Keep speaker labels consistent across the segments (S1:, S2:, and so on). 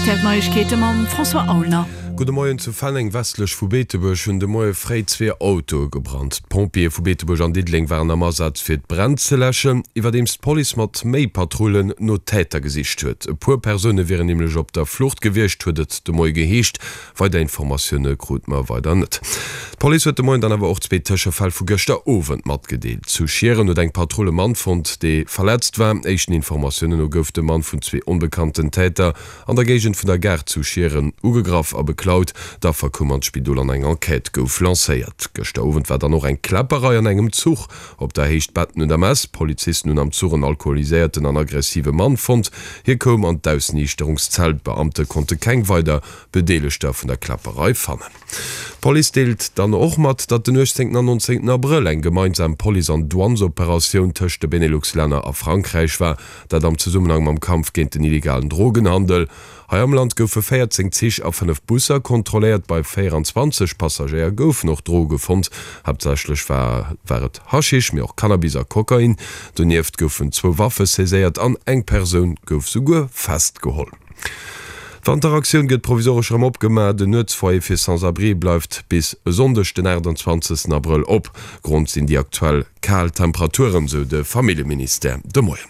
S1: Rtl Neiegkeete mam François Aulner.
S2: Gudde Moien, Zu Fenneng westlech vu Beetebuerg hunn de Moie fréi zwee Autoe gebrannt. D'Pompjeeë vu Beetebuerg an Diddeleng waren am Asaz fir d'Bränn ze läschen, iwwerdeems d'Police mat méi Patrullen no Täter gesicht huet. E puer Persoune wieren nämlech op der Flucht gewiescht, huet et de Moie geheescht. Weider Informatioune krut mer weider net. D'Police huet de Moien dann awer och zwee Tëschefäll vu gëschter Owend matgedeelt. Zu Schieren huet eng Patrull e Mann fonnt, dee verletzt war. Éischten Informatiounen no gouf de Mann vun zwee onbekannten Täter an der Géigend vun der Gare zu Schieren ugegraff a beklaut. D'Affer koum an d'Spidol an eng Enquête gouf lancéiert. Gëschter Owend war dann och eng Kläpperei an engem Zuch op der Héicht Betten un der Mess. Polizisten hunn am Zuch en alkoholiséierten an aggressive Mann fonnt. Hie koum an d'Ausniichterungszell. D'Beamte konnte keng weider Bedeelegter vun der Kläpperei fannen. D'Police deelt dann och mat, datt den 18 an 19 Abrëll eng gemeinsam Police an Douanesoperatioun tëscht de Benelux-Länner a Frankräich war, dat am Zesummenhang mam Kampf géint den illegalen Drogenhandel. Hei am Land goufe 14 Zich a 5 Busser kontrolléiert, bei 24 Passagéier goufen och Droge fonnt. Haaptsächlech war war et Haschisch, mee och Cannabis a Kokain. Donieft goufen zwou Waffe saiséiert an eng Persoun gouf souguer festgeholl. D'Wanteraktioun gëtt provisoresch erëm opgemaach. Den Nuetsfoyer fir Sans-abrie bleift bis e Sonndeg den 28 Abrëll op. Grond sinn déi aktuell kal Temperaturen, sou de Familljeministère de Moien.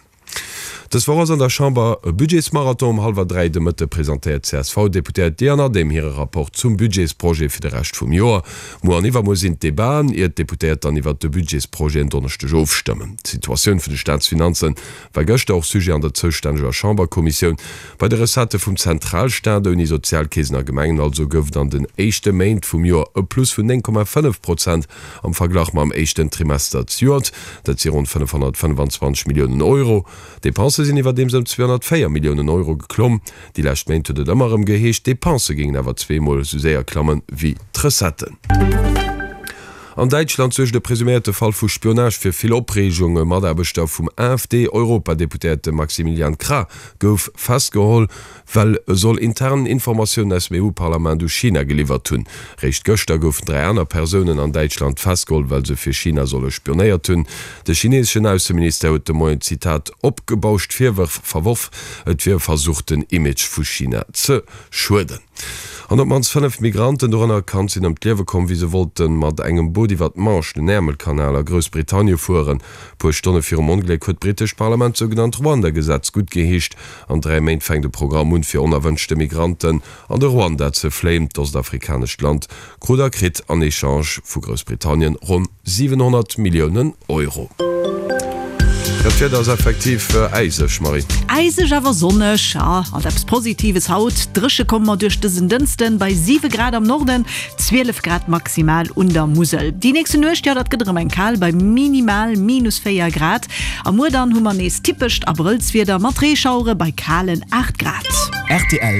S2: Dës Woch ass an der Chamber e Budgetsmarathon. Um hallwer 3 de Mëtte presentéiert d'CSV-Deputéiert Diane Adehm hire Rapport zum Budgetsprojet fir de Rescht vum Joer. Muer an iwwermuer sinn d'Debaten, ier d'Deputéiert dann iwwert de Budgetsprojet en Donneschdeg ofstëmmen. D'Situatioun vun de Staatsfinanze war gëschter och Sujet an der zoustänneger Chamberkommissioun. Bei de Recettë vum Zentralstaat, ouni Sozialkeesen a Gemengen also, gouf et an den éischte Méint vum Joer e Plus vun 9,5 Prozent am Verglach mam éischten Trimester zejoert. Dat si ronn 525 Milliounen Euro. D'Depensë sinn iwwerdeems ëm 204 Milliounen Euro geklomm. Déi lescht Méint huet et ëmmer erëm geheescht, d'Depensë géingen awer zweemol esou séier klamme wéi d'Recetten. An Däitschland suergt e presuméierte Fall vu Spionage fir vill Opreegung. E Mataarbechter vum AfD-Europadeputéierte Maximilian Krah gouf festgeholl, well e soll intern Informatiounen aus dem EU-Parlament u China geliwwert hunn. Réischt gëschter goufen 3 aner Persounen an Däitschland festgeholl, well se fir China solle spionéiert hunn. De chineeseschen Ausseministère huet de Moien, Zitat, opgebauscht Virwërf verworf. Et wier e Versuch, den Image vu China ze schueden. An op d'mannst 5 Migranten, dorënner e Kand, sinn ëm d'Liewe komm, wéi se wollte mat engem Boot iwwer d'Manche, den Äermelkanal, a Groussbritannie fueren. Puer Stonne virum Ongléck huet d'britescht Parlament d'sougenannt Ruanda-Gesetz guttgeheescht. An 3 Méint fänkt e Programm un, fir onerwënschte Migranten an de Ruanda ze fléien. D'ostafrikanescht Land krut a kritt an Echange vu Groussbritannien ronn 700 Milliounen Euro. Dat Wieder ass effektiv äiseg, Marie.
S1: Äiseg awer sonneg, ja, alt eppes Positives haut. Dréche komme mer duerch dësen Dënschden bei 7 Grad am Norden, 12 Grad maximal un der Musel. Déi nächste Nuecht, jo, dat gëtt erëm eng kal bei minimal minus 4 Grad. A muer dann hu mer nees typescht Abrëllswieder mat Reeschauere bei kalen 8 Grad.
S3: Rtl.